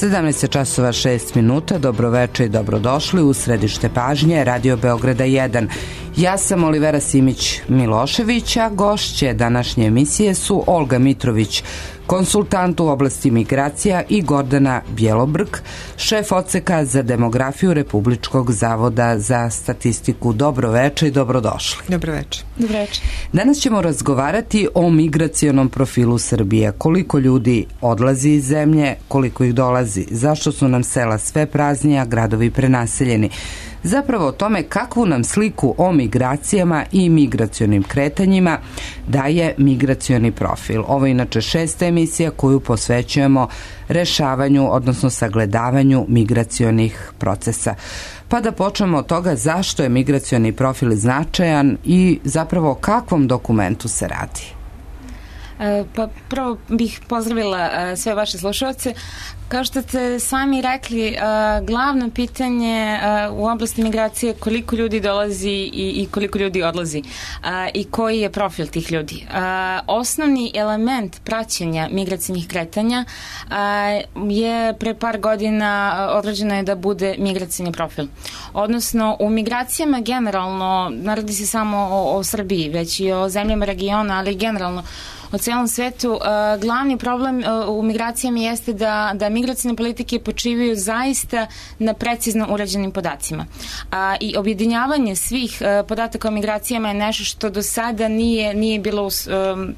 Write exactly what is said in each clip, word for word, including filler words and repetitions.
sedamnaest časova šest minuta, dobroveče i dobrodošli u središte pažnje Radio Beograda jedan. Ja sam Olivera Simić-Milošević, a gošće današnje emisije su Olga Mitrović, konsultant u oblasti migracija, i Gordana Bjelobrk, šef odseka za demografiju Republičkog zavoda za statistiku. Dobroveče i dobrodošli. Dobroveče. Dobroveče. Danas ćemo razgovarati o migracionom profilu Srbije. Koliko ljudi odlazi iz zemlje, koliko ih dolazi, zašto su nam sela sve praznija, gradovi prenaseljeni. Zapravo o tome kakvu nam sliku o migracijama i migracionim kretanjima daje migracioni profil. Ovo je inače šesta emisija koju posvećujemo rešavanju, odnosno sagledavanju migracionih procesa. Pa da počnemo od toga zašto je migracioni profil značajan i zapravo o kakvom dokumentu se radi. Pa prvo bih pozdravila sve vaše slušalce. Kao što ste sami rekli, glavno pitanje u oblasti migracije je koliko ljudi dolazi i koliko ljudi odlazi i koji je profil tih ljudi. Osnovni element praćenja migracijnih kretanja je pre par godina određeno je da bude migracijni profil. Odnosno, u migracijama generalno, ne radi se samo o, o Srbiji, već i o zemljama regiona, ali generalno u celom svetu, uh, glavni problem uh, u migracijama jeste da, da migracijne politike počivaju zaista na precizno urađenim podacima. Uh, I objedinjavanje svih uh, podataka o migracijama je nešto što do sada nije, nije bilo um,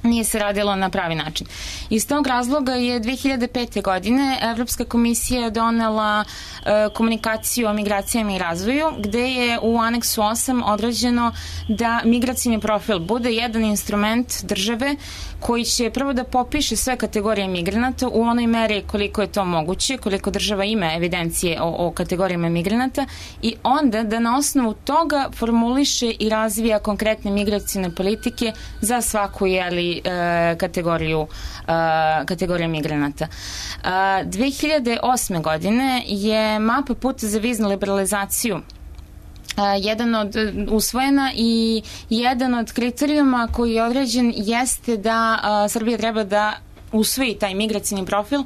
nije se radilo na pravi način. Iz tog razloga je dve hiljade pete. godine Evropska komisija donela e, komunikaciju o migracijama i razvoju, gde je u aneksu osam određeno da migracijni profil bude jedan instrument države koji će prvo da popiše sve kategorije migranata u onoj meri koliko je to moguće, koliko država ima evidencije o, o kategorijama migranata, i onda da na osnovu toga formuliše i razvija konkretne migracijne politike za svaku jeli kategoriju kategorija migranata. dve hiljade osme. godine je mapa puta za viznu liberalizaciju jedan od usvojena i jedan od kriterijuma koji je određen jeste da Srbija treba da usvoji taj migracijni profil,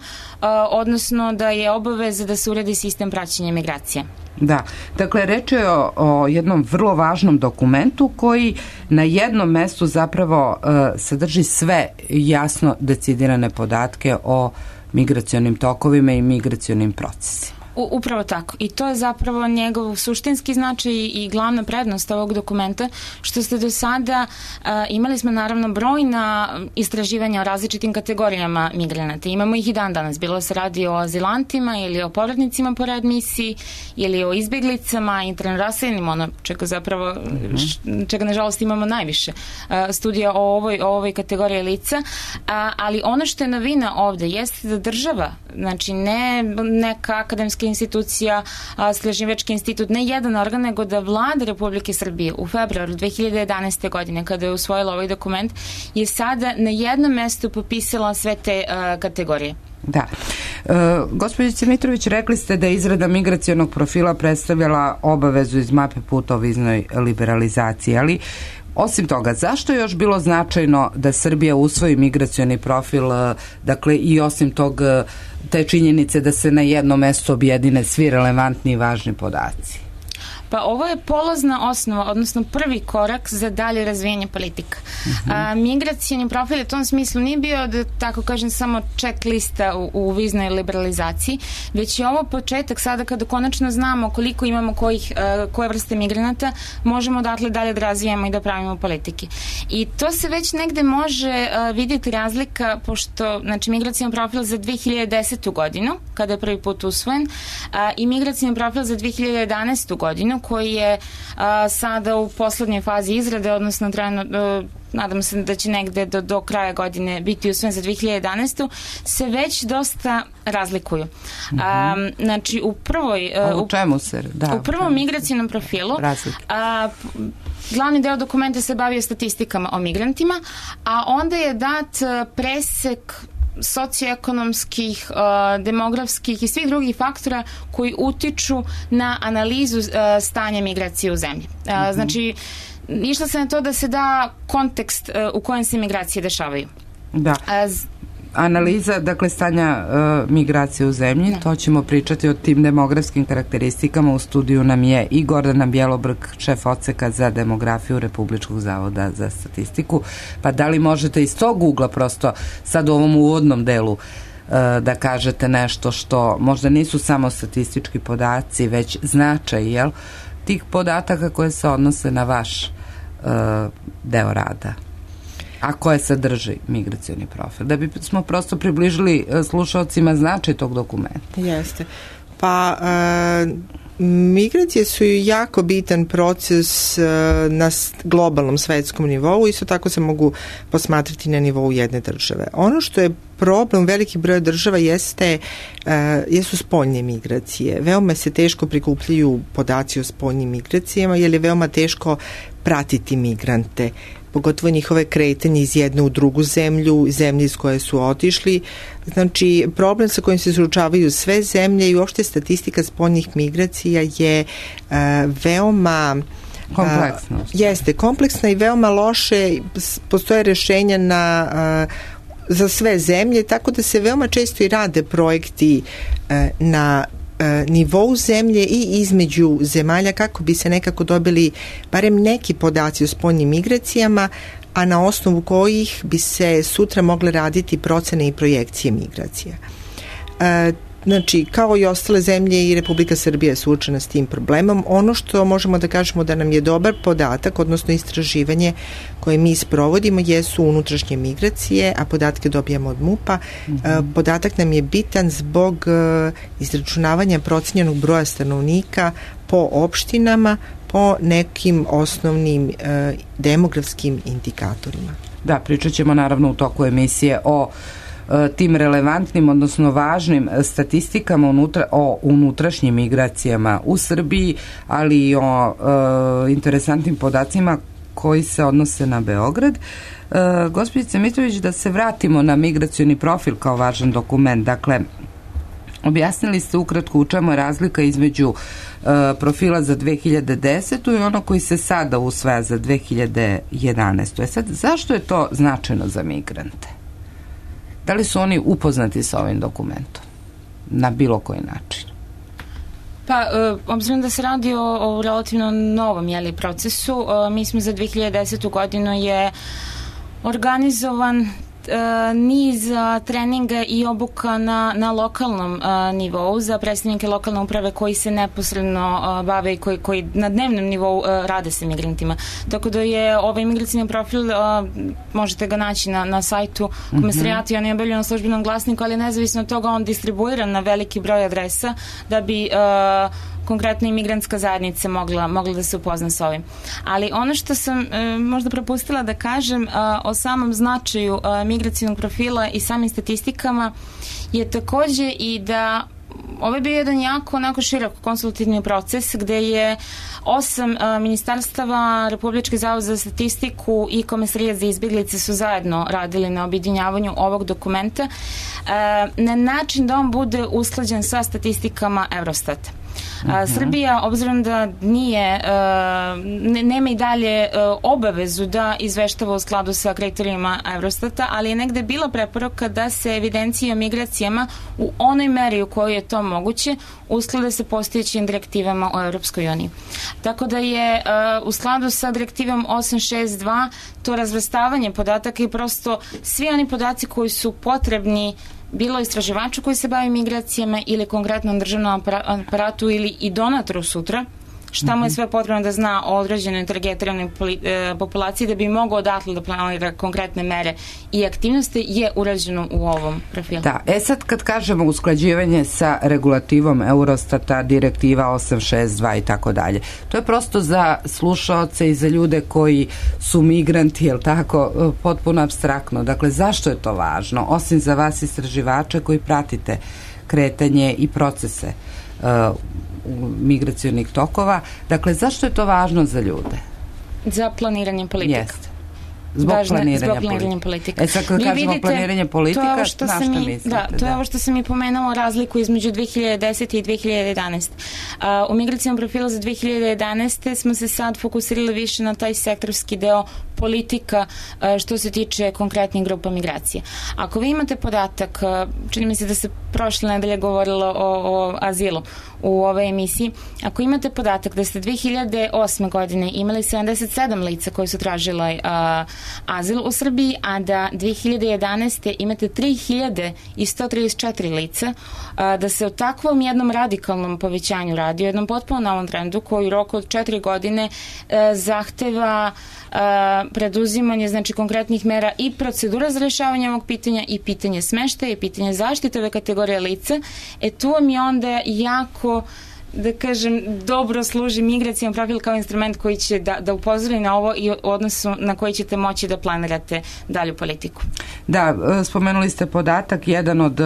odnosno da je obaveza da se uredi sistem praćenja migracija. Da, dakle, reč je o, o jednom vrlo važnom dokumentu koji na jednom mestu zapravo uh, sadrži sve jasno decidirane podatke o migracionim tokovima i migracionim procesima. U, upravo tako. I to je zapravo njegov suštinski značaj i glavna prednost ovog dokumenta, što ste do sada uh, imali smo naravno brojna istraživanja o različitim kategorijama migranata. Imamo ih i dan danas. Bilo se radi o azilantima ili o povratnicima po readmisiji ili o izbjeglicama, interno raseljenim, ono čega zapravo, mm-hmm. čega nažalost imamo najviše uh, studija o ovoj, o ovoj kategoriji lica. Uh, ali ono što je novina ovde jeste da država, znači ne neka akademska institucija, Istraživački institut, ne jedan organ, nego da Vlada Republike Srbije u februaru dve hiljade jedanaeste. godine, kada je usvojila ovaj dokument, je sada na jednom mestu popisala sve te uh, kategorije. Da. E, gospođice Mitrović, rekli ste da je izrada migracionog profila predstavljala obavezu iz mape puta o viznoj liberalizaciji, ali osim toga, zašto je još bilo značajno da Srbija usvoji migracioni profil, dakle i osim tog te činjenice da se na jedno mesto objedine svi relevantni i važni podaci? Pa ovo je polazna osnova, odnosno prvi korak za dalje razvijenje politika. Uh-huh. A, migracijni profil u tom smislu nije bio, da tako kažem, samo check lista u, u viznoj liberalizaciji, već je ovo početak sada kada konačno znamo koliko imamo kojih, uh, koje vrste migranata, možemo odatle dalje da razvijamo i da pravimo politike. I to se već negde može uh, vidjeti razlika, pošto, znači, migracijni profil za dve hiljade desetu. godinu, kada je prvi put usvojen, uh, i migracijni profil za dve hiljade jedanaestu. godinu, koji je a, sada u poslednjoj fazi izrade, odnosno trajno, a, nadam se da će negde do, do kraja godine biti usvojen za dve hiljade jedanaestu. se već dosta razlikuju. Mm-hmm. A, znači, u prvoj... A u čemu se? Da, u prvom migracijnom profilu a, glavni deo dokumenta se bavio statistikama o migrantima, a onda je dat presek socioekonomskih, uh, demografskih i svih drugih faktora koji utiču na analizu uh, stanja migracije u zemlji. Uh, mm-hmm. Znači, išla se na to da se da kontekst uh, u kojem se migracije dešavaju. Da. Uh, analiza, dakle, stanja uh, migracije u zemlji, no. To ćemo pričati o tim demografskim karakteristikama. U studiju nam je i Gordana Bjelobrg, šef odseka za demografiju Republičkog zavoda za statistiku. Pa da li možete iz tog ugla prosto sad u ovom uvodnom delu uh, da kažete nešto što možda nisu samo statistički podaci, već značaj, jel, tih podataka koje se odnose na vaš uh, deo rada, a koje sadrži migracioni profil, da bi smo prosto približili slušalcima značaj tog dokumenta. Jeste. Pa e, migracije su jako bitan proces e, na globalnom svetskom nivou, isto tako se mogu posmatrati na nivou jedne države. Ono što je problem veliki broj država jeste, e, jesu spoljne migracije. Veoma se teško prikupljaju podaci o spoljnim migracijama, jer je veoma teško pratiti migrante, pogotovo njihove kretanje iz jedne u drugu zemlju, zemlje iz koje su otišli. Znači, problem sa kojim se suočavaju sve zemlje i uopšte statistika spoljnih migracija je uh, veoma kompleksna. Uh, jeste, kompleksna i veoma loše. Postoje rešenja na uh, za sve zemlje, tako da se veoma često i rade projekti uh, na nivou zemlje i između zemalja kako bi se nekako dobili barem neki podaci o spoljnim migracijama, a na osnovu kojih bi se sutra mogle raditi procene i projekcije migracija. E, znači, kao i ostale zemlje, i Republika Srbija je suočena s tim problemom. Ono što možemo da kažemo da nam je dobar podatak, odnosno istraživanje koje mi sprovodimo, jesu unutrašnje migracije, a podatke dobijamo od MUP-a. Mm-hmm. Podatak nam je bitan zbog izračunavanja procenjenog broja stanovnika po opštinama, po nekim osnovnim eh, demografskim indikatorima. Da, pričat ćemo naravno u toku emisije o tim relevantnim, odnosno važnim statistikama unutra, o unutrašnjim migracijama u Srbiji, ali i o e, interesantnim podacima koji se odnose na Beograd. E, Gospođice Mitrović, da se vratimo na migracioni profil kao važan dokument. Dakle, objasnili ste ukratko u čemu je razlika između e, profila za dve hiljade desetu i ono koji se sada usvaja za dve hiljade jedanaestu. E sad, zašto je to značajno za migrante? Da li su oni upoznati sa ovim dokumentom na bilo koji način? Pa, e, obzirom da se radi o, o relativno novom jeli, procesu, e, mi smo za dve hiljade desetu godinu je organizovan niz treninga i obuka na, na lokalnom a, nivou za predstavnike lokalne uprave koji se neposredno a, bave i koji, koji na dnevnom nivou a, rade sa migrantima. Tako da je ovaj migracijni profil, a, možete ga naći na, na sajtu Komesarijata, on je objavljen na službenom glasniku, ali nezavisno od toga on distribuiran na veliki broj adresa da bi a, konkretno imigrantska zajednica mogla, mogla da se upozna sa ovim. Ali ono što sam e, možda propustila da kažem a, o samom značaju a, migracijnog profila i samim statistikama je takođe i da ovo je bio jedan jako onako širok konsultativni proces gde je osam a, ministarstava, Republički zavod za statistiku i Komesarijat za izbjeglice su zajedno radili na objedinjavanju ovog dokumenta a, na način da on bude usklađen sa statistikama Eurostata. A, Srbija, obzirom da nije, ne, nema i dalje obavezu da izveštava u skladu sa kriterijima Eurostata, ali je negde bila preporuka da se evidencije o migracijama u onoj meri u kojoj je to moguće usklade sa postojećim direktivama o Europskoj uniji. Tako da je u skladu sa direktivom osam šest dva to razvrstavanje podataka i prosto svi oni podaci koji su potrebni bilo istraživaču koji se bavi migracijama ili konkretnom državnom aparatu ili i donatoru sutra, šta mu je sve potrebno da zna o određenoj targetiranoj populaciji da bi mogao odatle da planira konkretne mere i aktivnosti je urađeno u ovom profilu. Da, e sad kad kažemo usklađivanje sa regulativom Eurostata, direktiva osam šest dva i tako dalje, to je prosto za slušaoce i za ljude koji su migranti, jel tako, potpuno apstraktno. Dakle, zašto je to važno? Osim za vas istraživače koji pratite kretanje i procese uh, migracionih tokova. Dakle, zašto je to važno za ljude? Za planiranje politika. Jeste. Zbog važna, planiranja, zbog planiranja politika. E sad kad Vi kažemo vidite, planiranje politika, na šta mi, mislite? Da, to je da. ovo što sam i pomenula, razliku između dve hiljade desete i dve hiljade jedanaeste. Uh, u migracijom profilu za dve hiljade jedanaeste smo se sad fokusirali više na taj sektorski deo politika uh, što se tiče konkretnih grupa migracije. Ako vi imate podatak, uh, čini mi se da se prošle nedelje govorilo o, o azilu u ovoj emisiji, ako imate podatak da ste dve hiljade osme godine imali sedamdeset sedam lica koji su tražila uh, azil u Srbiji, a da dve hiljade jedanaeste imate tri hiljade sto trideset četiri lica, uh, da se o takvom jednom radikalnom povećanju radi, o jednom potpuno novom trendu koji u roku od četiri godine uh, zahteva uh, preduzimanje znači konkretnih mera i procedura za rešavanje ovog pitanja i pitanje smeštaja i pitanje zaštite ove kategorije lica, e tu vam je onda jako da kažem, dobro služi migracijan profil kao instrument koji će da, da upozori na ovo i odnosu na koji ćete moći da planirate dalju politiku. Da, spomenuli ste podatak, jedan od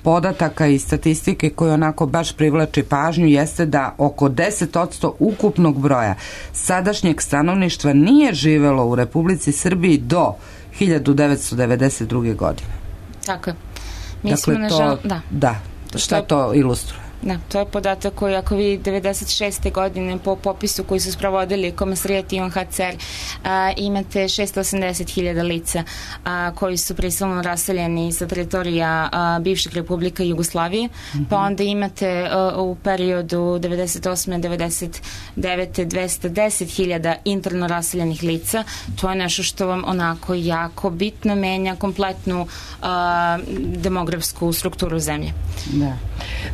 podataka i statistike koji onako baš privlači pažnju jeste da oko deset posto ukupnog broja sadašnjeg stanovništva nije živelo u Republici Srbiji do hiljadu devetsto devedeset druge. godine. Tako je. Mi dakle, smo, to, nažal, da. da, šta to ilustruje? Da, to je podatak koji ako vi devedeset šeste. godine po popisu koji su sprovodili Komesarijat i U N H C R a, imate šesto osamdeset hiljada lica a, koji su prisilno raseljeni sa teritorija a, bivšeg Republika Jugoslavije, mm-hmm. pa onda imate a, u periodu devedeset osme. devedeset devete. dvesta deset hiljada interno raseljenih lica. To je nešto što vam onako jako bitno menja kompletnu a, demografsku strukturu zemlje. Da.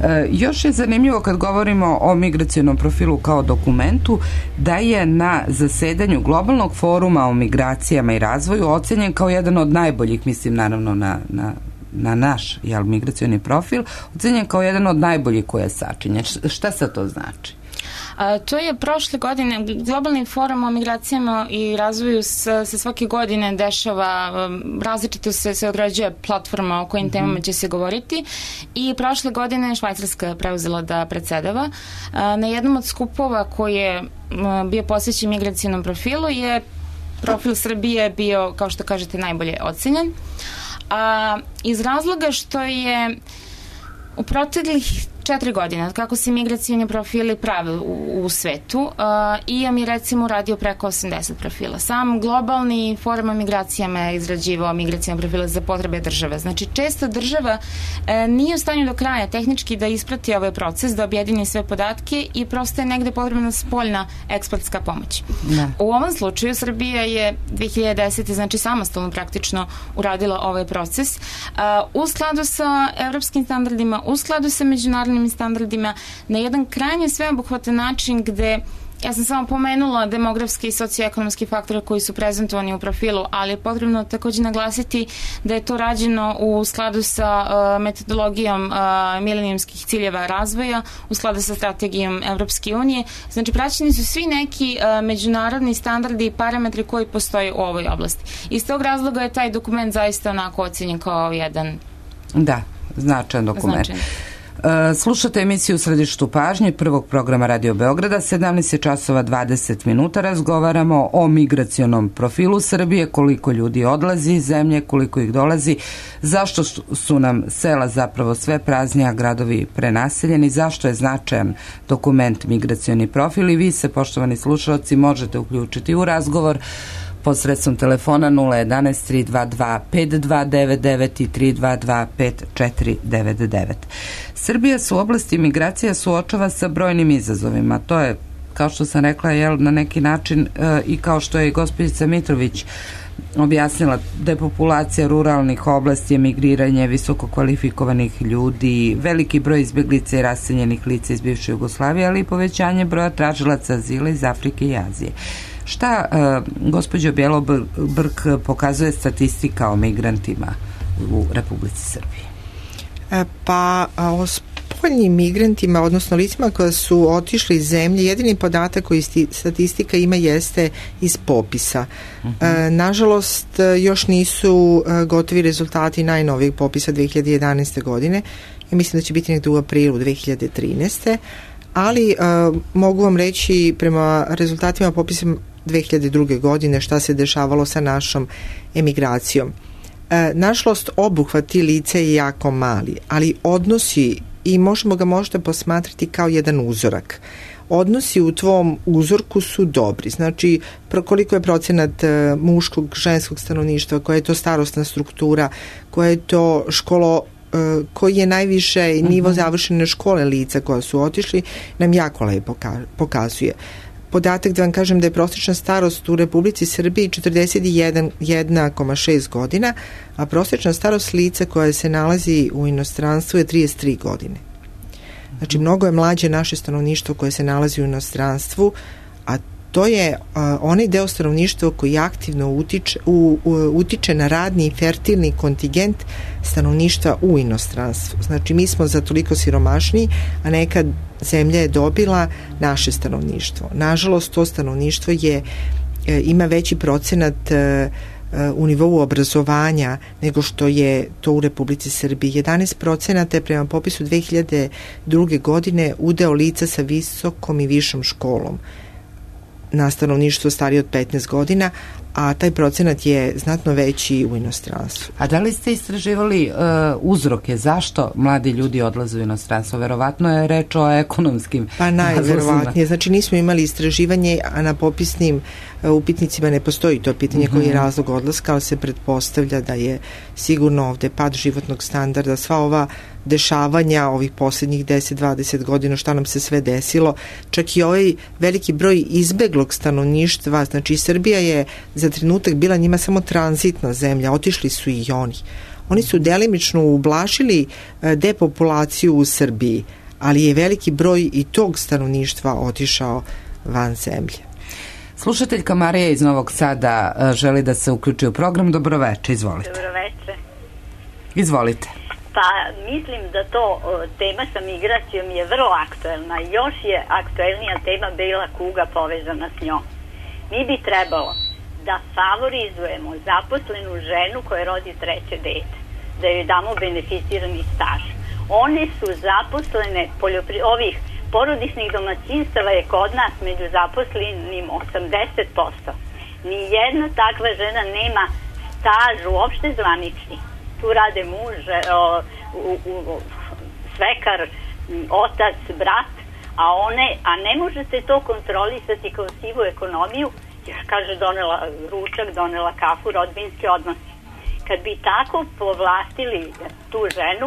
E, još je zanimljivo kad govorimo o migracionom profilu kao dokumentu da je na zasedanju globalnog foruma o migracijama i razvoju ocenjen kao jedan od najboljih, mislim naravno na, na, na naš jel, migracioni profil, ocenjen kao jedan od najboljih koje je sačinjen. Šta sad to znači? A, to je prošle godine, globalni forum o migracijama i razvoju se, se svake godine dešava, različito se, se određuje platforma o kojim mm-hmm. temama će se govoriti i prošle godine je Švajcarska preuzela da predsedava. A, na jednom od skupova koji je a, bio posvećen migracijnom profilu je profil Srbije bio, kao što kažete, najbolje ocenjen. A, iz razloga što je u proteklih četiri godine, kako se migracijni profili prave u, u svetu, uh, I A M je recimo uradio preko osamdeset profila. Sam globalni forum o migracijama je izrađivao migracijne profile za potrebe države. Znači, često država uh, nije u stanju do kraja tehnički da isprati ovaj proces, da objedini sve podatke i prosto je negde potrebna spoljna ekspertska pomoć. Ne. U ovom slučaju Srbija je dve hiljade desete. znači samostalno praktično uradila ovaj proces uh, u skladu sa evropskim standardima, u skladu sa međunarodnim standardima, na jedan krajnje sveobuhvatan način gde ja sam samo pomenula demografski i socioekonomski faktore koji su prezentovani u profilu, ali je potrebno takođe naglasiti da je to rađeno u skladu sa uh, metodologijom uh, milenijumskih ciljeva razvoja, u skladu sa strategijom Evropske unije. Znači, praćeni su svi neki uh, međunarodni standardi i parametri koji postoje u ovoj oblasti. Iz tog razloga je taj dokument zaista onako ocenjen kao jedan da, značajan dokument. Značajan. Slušate emisiju u središtu pažnje prvog programa Radio Beograda, sedamnaest časova dvadeset minuta, razgovaramo o migracionom profilu Srbije, koliko ljudi odlazi iz zemlje, koliko ih dolazi, zašto su nam sela zapravo sve praznija, gradovi prenaseljeni, zašto je značajan dokument migracioni profil i vi se, poštovani slušalci, možete uključiti u razgovor posredstvom telefona nula jedanaest tri dva dva pet dva devet devet i tri dva dva pet četiri devet devet. Srbija se u oblasti migracija suočava sa brojnim izazovima. To je, kao što sam rekla, jel, na neki način e, i kao što je i gospođica Mitrović objasnila, depopulacija ruralnih oblasti, emigriranje visoko kvalifikovanih ljudi, veliki broj izbjeglica i raseljenih lica iz bivše Jugoslavije, ali i povećanje broja tražilaca azila iz Afrike i Azije. Šta, uh, gospođo Bjelobrk, pokazuje statistika o migrantima u Republici Srbiji? E, pa, o spoljnim migrantima, odnosno licima koja su otišli iz zemlje, jedini podatak koji sti, statistika ima jeste iz popisa. Uh-huh. E, nažalost, još nisu e, gotovi rezultati najnovijeg popisa dve hiljade jedanaeste. godine. Ja mislim da će biti nekde u aprilu dve hiljade trinaeste. Ali uh, mogu vam reći prema rezultatima popisa dve hiljade druge. godine šta se dešavalo sa našom emigracijom. E, nažalost, obuhvat i lice je jako mali, ali odnosi, i možemo ga možda posmatrati kao jedan uzorak, odnosi u tvom uzorku su dobri. Znači, koliko je procenat muškog, ženskog stanovništva, koja je to starosna struktura, koja je to školo, koji je najviše nivo završene škole lica koja su otišli, nam jako lepo pokazuje. Podatak da vam kažem da je prosječna starost u Republici Srbiji četrdeset jedan zarez šest godina, a prosječna starost lica koja se nalazi u inostranstvu je trideset tri godine. Znači, mnogo je mlađe naše stanovništvo koje se nalazi u inostranstvu, a to je uh, onaj deo stanovništva koji aktivno utiče, u, u, utiče na radni i fertilni kontingent stanovništva u inostranstvu. Znači, mi smo za toliko siromašni, a nekad zemlja je dobila naše stanovništvo. Nažalost, to stanovništvo je, e, ima veći procenat e, u nivou obrazovanja nego što je to u Republici Srbiji. jedanaest procenata je prema popisu dve hiljade druge. godine udeo lica sa visokom i višom školom na stanovništvo starije od petnaest godina, a taj procenat je znatno veći u inostranstvu. A da li ste istraživali uh, uzroke zašto mladi ljudi odlaze u inostranstvo? Verovatno je reč o ekonomskim. Pa najverovatnije. Znači, nismo imali istraživanje, a na popisnim uh, upitnicima ne postoji to pitanje koji je razlog odlaska, ali se pretpostavlja da je sigurno ovde pad životnog standarda, sva ova dešavanja ovih posljednjih deset do dvadeset godina, šta nam se sve desilo, čak i ovaj veliki broj izbeglog stanovništva. Znači, Srbija je za trenutak bila njima samo tranzitna zemlja, otišli su i oni. Oni su delimično ublažili depopulaciju u Srbiji, ali je veliki broj i tog stanovništva otišao van zemlje. Slušateljka Marija iz Novog Sada želi da se uključi u program. Dobroveče, izvolite. Dobroveče. Izvolite. Pa mislim da to tema sa migracijom je vrlo aktuelna. Još je aktuelnija tema bela kuga povezana s njom. Mi bi trebalo da favorizujemo zaposlenu ženu koja rodi treće dete, da joj damo beneficirani staž. One su zaposlene poljopri... ovih porodičnih domaćinstava je kod nas među zaposlenim osamdeset posto. Nijedna takva žena nema staž uopšte zvanični. Tu rade muž, o, u, u, svekar, otac, brat, a one, a ne možete to kontrolisati kao sivu ekonomiju, jer kaže donela ručak, donela kafu, rodbinski odnosi. Kad bi tako povlastili tu ženu,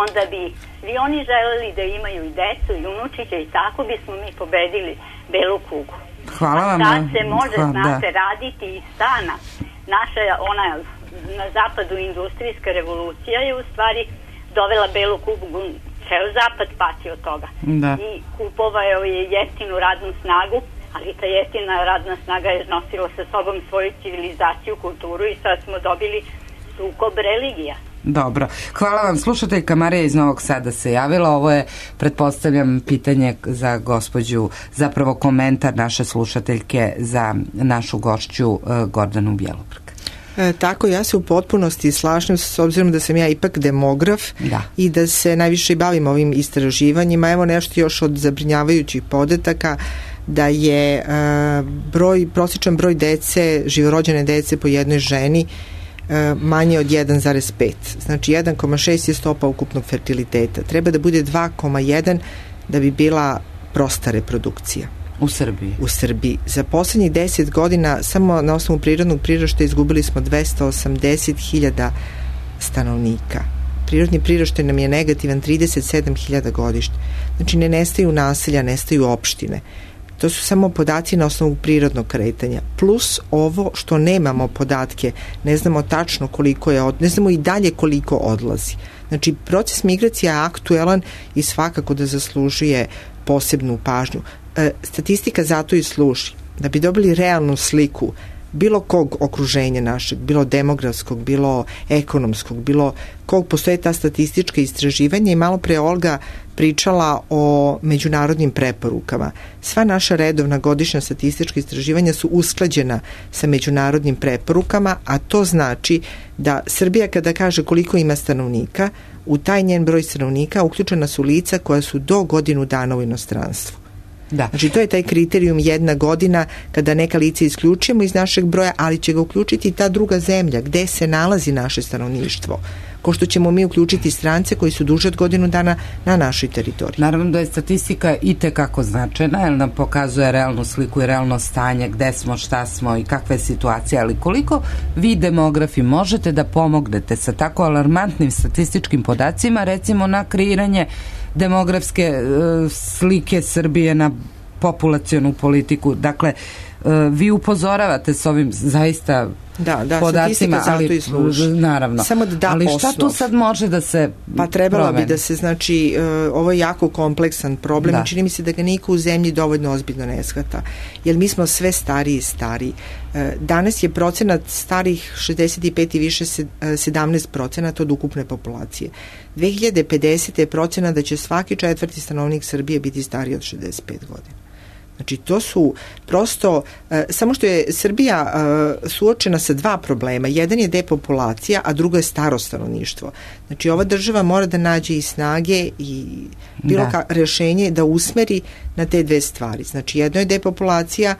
onda bi svi oni želeli da imaju i decu i unučiće i tako bismo mi pobedili belu kugu. Hvala vam. A sad se može, Hvala, znate, da. raditi iz stana. Naša, ona na zapadu industrijska revolucija je u stvari dovela belu kugu, ceo zapad pati od toga. Da. I kupovao je jeftinu radnu snagu, ali ta jeftina radna snaga je nosila sa sobom svoju civilizaciju, kulturu i sad smo dobili sukob religija. Dobro. Hvala vam. Slušateljka Marija iz Novog Sada se javila. Ovo je, pretpostavljam, pitanje za gospođu, zapravo komentar naše slušateljke za našu gošću uh, Gordanu Bjelobrk. E, tako, ja se u potpunosti slažem s obzirom da sam ja ipak demograf, da, i da se najviše bavim ovim istraživanjima. Evo nešto još od zabrinjavajućih podataka, da je e, broj, prosječan broj dece, živorođene dece po jednoj ženi e, manje od jedan zarez pet. Znači jedan zarez šest je stopa ukupnog fertiliteta. Treba da bude dva zarez jedan da bi bila prosta reprodukcija. U Srbiji? U Srbiji. Za poslednjih deset godina samo na osnovu prirodnog priraštaja izgubili smo dvesta osamdeset hiljada stanovnika. Prirodni priraštaj nam je negativan trideset sedam hiljada godišnje. Znači ne nestaju naselja, nestaju opštine. To su samo podaci na osnovu prirodnog kretanja. Plus ovo što nemamo podatke, ne znamo tačno koliko je, od, ne znamo i dalje koliko odlazi. Znači proces migracija je aktuelan i svakako da zaslužuje posebnu pažnju. E, statistika zato i služi da bi dobili realnu sliku bilo kog okruženja našeg, bilo demografskog, bilo ekonomskog, bilo kog postoje ta statistička istraživanja. I malo pre Olga pričala o međunarodnim preporukama. Sva naša redovna godišnja statistička istraživanja su usklađena sa međunarodnim preporukama, a to znači da Srbija kada kaže koliko ima stanovnika, u taj njen broj stanovnika uključena su lica koja su do godinu dana u inostranstvu. Da. Znači to je taj kriterijum jedna godina kada neka lica isključujemo iz našeg broja, ali će ga uključiti i ta druga zemlja gde se nalazi naše stanovništvo. Ko što ćemo mi uključiti strance koji su duže od godinu dana na našoj teritoriji. Naravno da je statistika i tekako značajna, jer nam pokazuje realnu sliku i realno stanje, gde smo, šta smo i kakva je situacija, ali koliko vi demografi možete da pomognete sa tako alarmantnim statističkim podacima, recimo na kreiranje demografske e, slike Srbije na populacionu politiku. Dakle, e, vi upozoravate s ovim zaista da, da, podacima, ali i služi. Naravno. Samo da da ali šta osnov. tu sad može da se Pa trebalo promeni? bi da se, znači, uh, ovo je jako kompleksan problem da. I čini mi se da ga niko u zemlji dovoljno ozbiljno ne shvata. Jer mi smo sve stariji i stariji. Uh, danas je procenat starih šezdeset pet i više sedamnaest procenata od ukupne populacije. dve hiljade pedesete je procenat da će svaki četvrti stanovnik Srbije biti stariji od šezdeset pet godina. Znači, to su prosto, e, samo što je Srbija e, suočena sa dva problema. Jedan je depopulacija, a drugo je staro stanovništvo. Znači, ova država mora da nađe i snage i bilo ka, rešenje da usmeri na te dve stvari. Znači, jedno je depopulacija,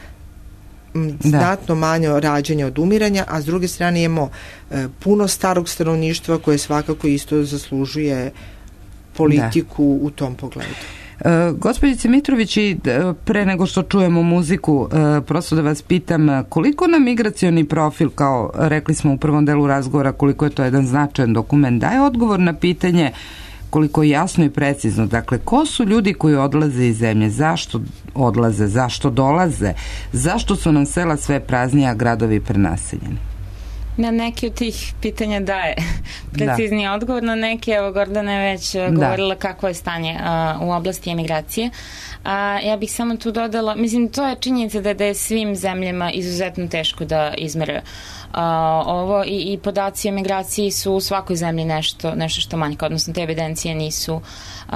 m, znatno manje rađanja od umiranja, a s druge strane imamo e, puno starog stanovništva koje svakako isto zaslužuje politiku da. U tom pogledu. Uh, Gospođice Mitrović, i pre nego što čujemo muziku, uh, prosto da vas pitam, koliko nam migracioni profil, kao rekli smo u prvom delu razgovora, koliko je to jedan značajan dokument, daje odgovor na pitanje koliko jasno i precizno, dakle, ko su ljudi koji odlaze iz zemlje, zašto odlaze, zašto dolaze, zašto su nam sela sve praznije, a gradovi prenaseljeni? Na neke od tih pitanja daje precizniji da. Odgovor, na neke, evo Gordana je već da. Govorila kakvo je stanje uh, u oblasti emigracije. A ja bih samo tu dodala, mislim, to je činjenica da, da je svim zemljama izuzetno teško da izmere uh, ovo i, i podaci o emigraciji su u svakoj zemlji nešto, nešto što manjka, odnosno te evidencije nisu, uh,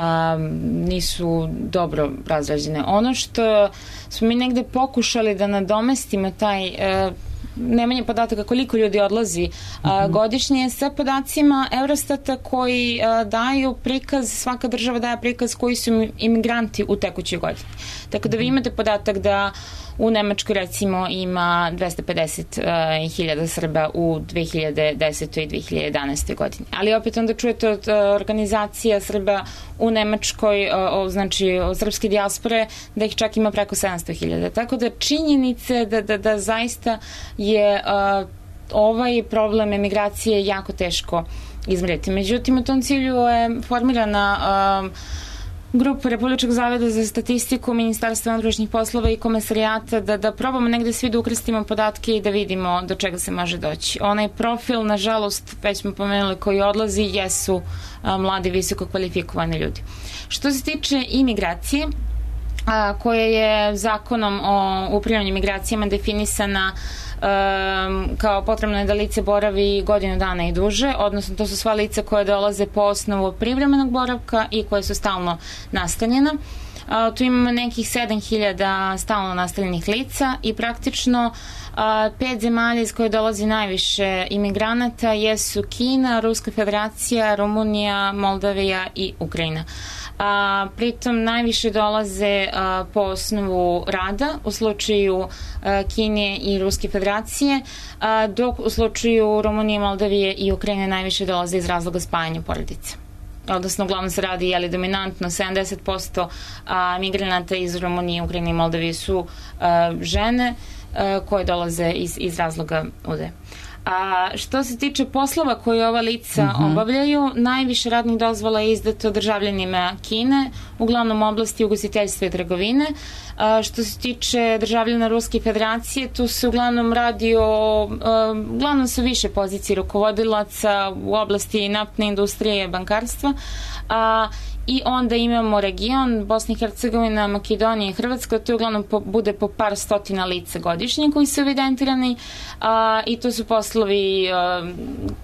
nisu dobro razrađene. Ono što smo mi negde pokušali da nadomestimo taj uh, nemanje podataka koliko ljudi odlazi a, godišnje sa podacima Eurostata koji a, daju prikaz, svaka država daje prikaz koji su imigranti u tekućoj godini. Tako da vi imate podatak da u Nemačkoj recimo ima dvesta pedeset hiljada Srba u dve hiljade desete i dve hiljade jedanaeste godini. Ali opet onda čujete od organizacija Srba u Nemačkoj, o, znači od srpske dijaspore, da ih čak ima preko sedamsto hiljada. Tako da činjenice da, da, da zaista je a, ovaj problem emigracije jako teško izmjeriti. Međutim, u tom cilju je formirana a, grupu Republičkog zavoda za statistiku, Ministarstva unutrašnjih poslova i Komesarijata da, da probamo negde svi da ukrstimo podatke i da vidimo do čega se može doći. Onaj profil, nažalost, već smo pomenuli, koji odlazi, jesu a, mladi, visoko kvalifikovani ljudi. Što se tiče imigracije, a, koja je zakonom o upravljanju migracijama definisana Um, kao potrebno je da lice boravi godinu dana i duže, odnosno to su sva lica koje dolaze po osnovu privremenog boravka i koje su stalno nastanjena. Uh, tu imamo nekih sedam hiljada stalno nastanjenih lica i praktično uh, pet zemalja iz koje dolazi najviše imigranata jesu Kina, Ruska federacija, Rumunija, Moldavija i Ukrajina. A, pritom najviše dolaze a, po osnovu rada u slučaju a, Kine i Ruske federacije, a, dok u slučaju Rumunije, Moldavije i Ukrajine najviše dolaze iz razloga spajanja porodice. Odnosno, uglavnom se radi, jeli, dominantno sedamdeset posto a, migranata iz Rumunije, Ukrajine i Moldavije su a, žene a, koje dolaze iz, iz razloga ude. A što se tiče poslova koje ova lica uh-huh. obavljaju, najviše radnih dozvola je izdato državljanima Kine, uglavnom oblasti ugostiteljstva i trgovine. A što se tiče državljana Ruske federacije, tu se uglavnom radi o, um, uglavnom su više pozicije rukovodilaca u oblasti naftne industrije i bankarstva, a i onda imamo region Bosna i Hercegovina, Makedonija i Hrvatska, to uglavnom po, bude po par stotina lica godišnje koji su evidentirani a, i to su poslovi, a,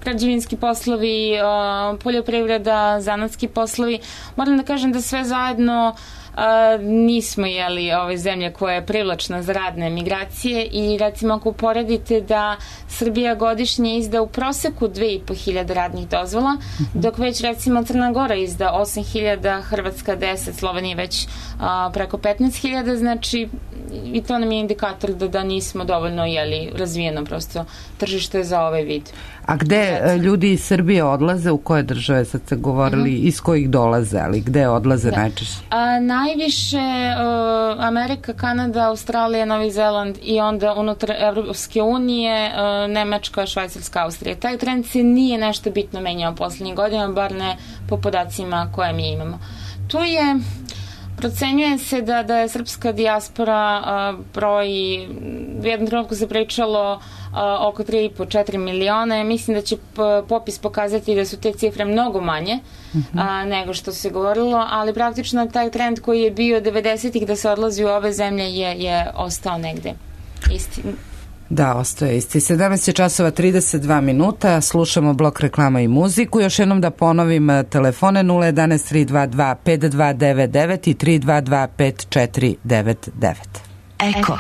građevinski poslovi, a, poljoprivreda, zanatski poslovi. Moram da kažem da sve zajedno a, nismo jeli ove zemlje koja je privlačna za radne migracije i recimo ako uporedite da Srbija godišnje izda u proseku dve i po hiljade radnih dozvola, dok već recimo Crna Gora izda osam hiljada, Hrvatska deset, Slovenija već a, preko petnaest hiljada, znači i to nam je indikator da, da nismo dovoljno jeli razvijeno prosto tržište za ovaj vid. A gde ljudi iz Srbije odlaze, u koje države, sad ste govorili, mm-hmm. iz kojih dolaze, ali gde odlaze da. najčešće? A, najviše uh, Amerika, Kanada, Australija, Novi Zeland i onda unutar Evropske unije, uh, Nemačka, Švajcarska, Austrija. Taj trend se nije nešto bitno menjao poslednjih godina, bar ne po podacima koje mi imamo. Tu je procenjuje se da, da je srpska dijaspora uh, broji, u jednom trenutku se pričalo uh, oko tri i po do četiri miliona. Mislim da će popis pokazati da su te cifre mnogo manje mm-hmm. uh, nego što se govorilo, ali praktično taj trend koji je bio devedesetih da se odlazi u ove zemlje je, je ostao negde isti. Da, ostaje isti. sedamnaest je časova trideset dva minuta, slušamo blok reklama i muziku. Još jednom da ponovim telefone nula jedan tri dva dva pet dva devet devet i tri dva dva pet četiri devet devet. Eko.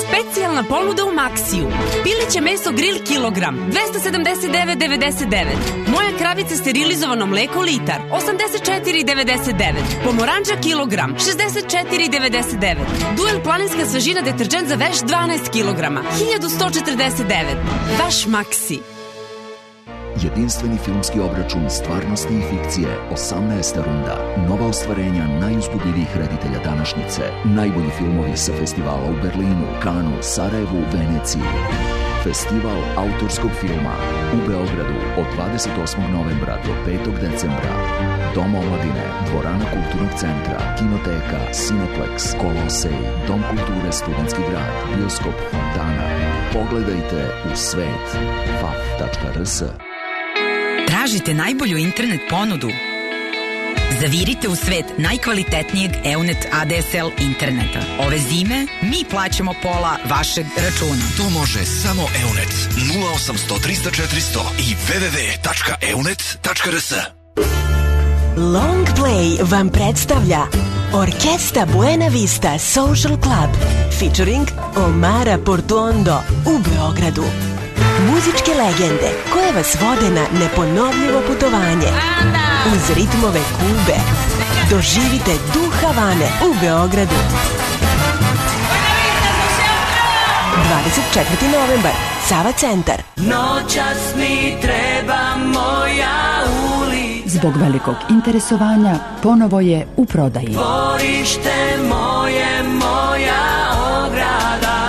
Specijalna ponuda u Maxiju. Pileće meso grill kilogram dvesta sedamdeset devet devedeset devet. Moja kravica sterilizovano mleko litar osamdeset četiri devedeset devet. Pomoranđa kilogram šezdeset četiri devedeset devet. Duel planinska svežina deterđent za veš dvanaest kilograma hiljadu sto četrdeset devet. Vaš Maxi. Jedinstveni filmski obračun stvarnosti i fikcije, osamnaesta runda. Nova ostvarenja najuzbudljivijih reditelja današnjice. Najbolji filmovi sa festivala u Berlinu, Kanu, Sarajevu, Veneciji. Festival autorskog filma u Beogradu od dvadeset osmog novembra do petog decembra. Dom omladine, dvorana kulturnog centra, kinoteka, Cineplex, Kolosej, Dom kulture Studentski grad, bioskop Fontana. Pogledajte u svet. f a f tačka r s. Tražite najbolju internet ponudu? Zavirite u svet najkvalitetnijeg Eunet A D S L interneta. Ove zime mi plaćamo pola vašeg računa. To može samo Eunet. nula osamsto trista četiristo i w w w tačka eunet tačka r s. Long Play vam predstavlja Orkesta Buena Vista Social Club featuring Omara Portuondo u Beogradu. Muzičke legende koje vas vode na neponovljivo putovanje uz ritmove Kube. Doživite duh Havane u Beogradu. dvadeset četvrti novembar, Sava centar. Noćas mi treba moja ulica. Zbog velikog interesovanja ponovo je u prodaji. Dvorište moje, moja ograda.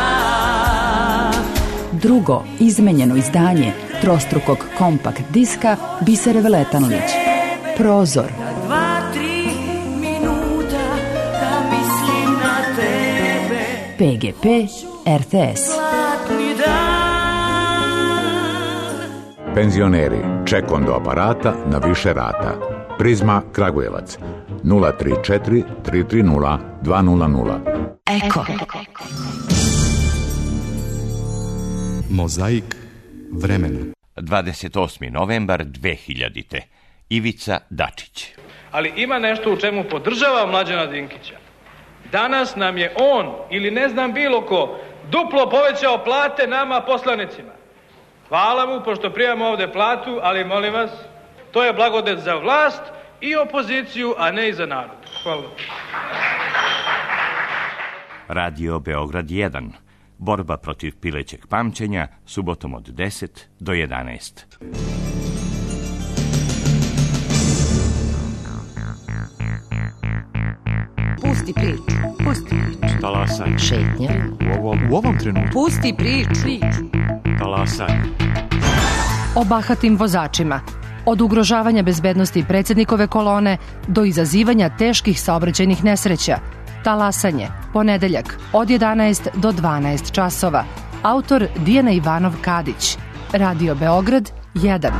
Drugo izmenjeno izdanje trostrukog kompakt diska Bisere Veletanlić. Prozor. Dva, tri minuta da mislim na tebe. P G P R T S. Penzioneri, ček do aparata na više rata. Prizma Kragujevac nula tri četiri tri tri nula dva nula nula. Eko. Mozaik vremena. dvadeset osmi novembar dve hiljadite. Ivica Dačić. Ali ima nešto u čemu podržava Mlađana Dinkića. Danas nam je on, ili ne znam bilo ko, duplo povećao plate nama poslanicima. Hvala mu, pošto primamo ovde platu, ali molim vas, to je blagodet za vlast i opoziciju, a ne i za narod. Hvala. Radio Beograd jedan. Borba protiv pilećeg pamćenja, subotom od deset do jedanaest. Pusti priču, pusti priču. Talasaj. Šetnja. U ovom, u ovom trenutku. Pusti priču. Talasaj. O bahatim vozačima. Od ugrožavanja bezbednosti predsjednikove kolone do izazivanja teških saobraćajnih nesreća. Talasanje, ponedeljak, od jedanaest do dvanaest časova. Autor Dijana Ivanov Kadić. Radio Beograd jedan.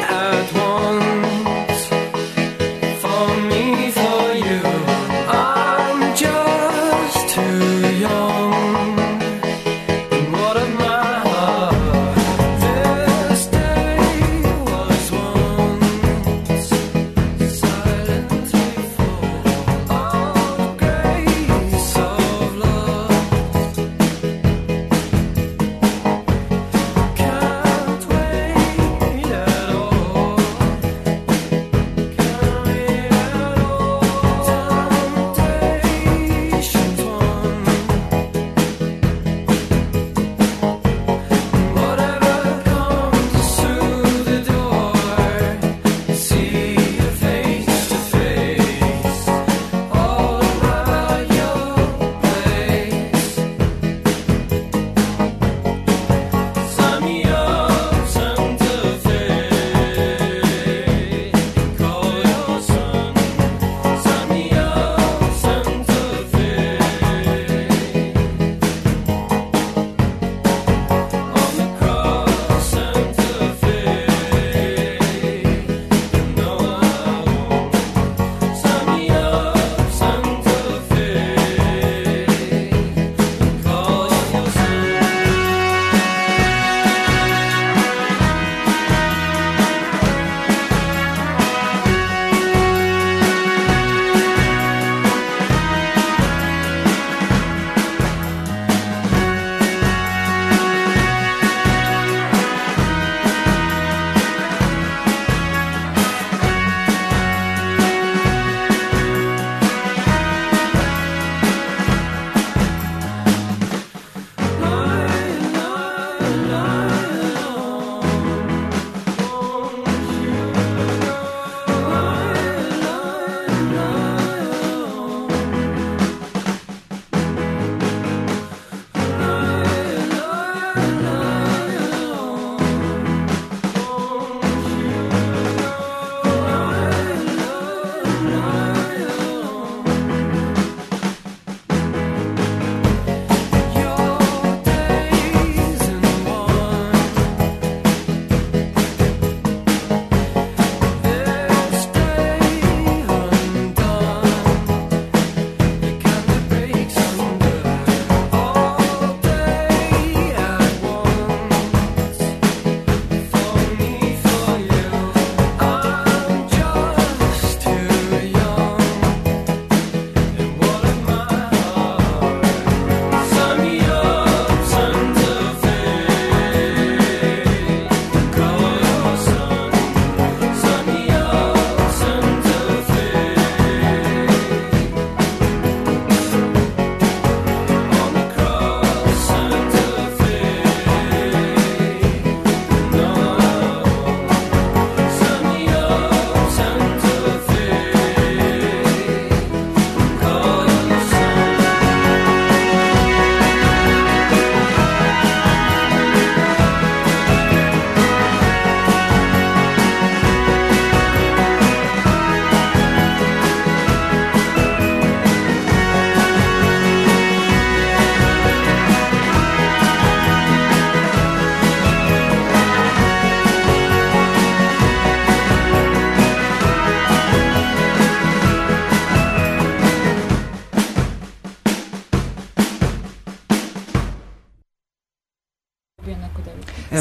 At one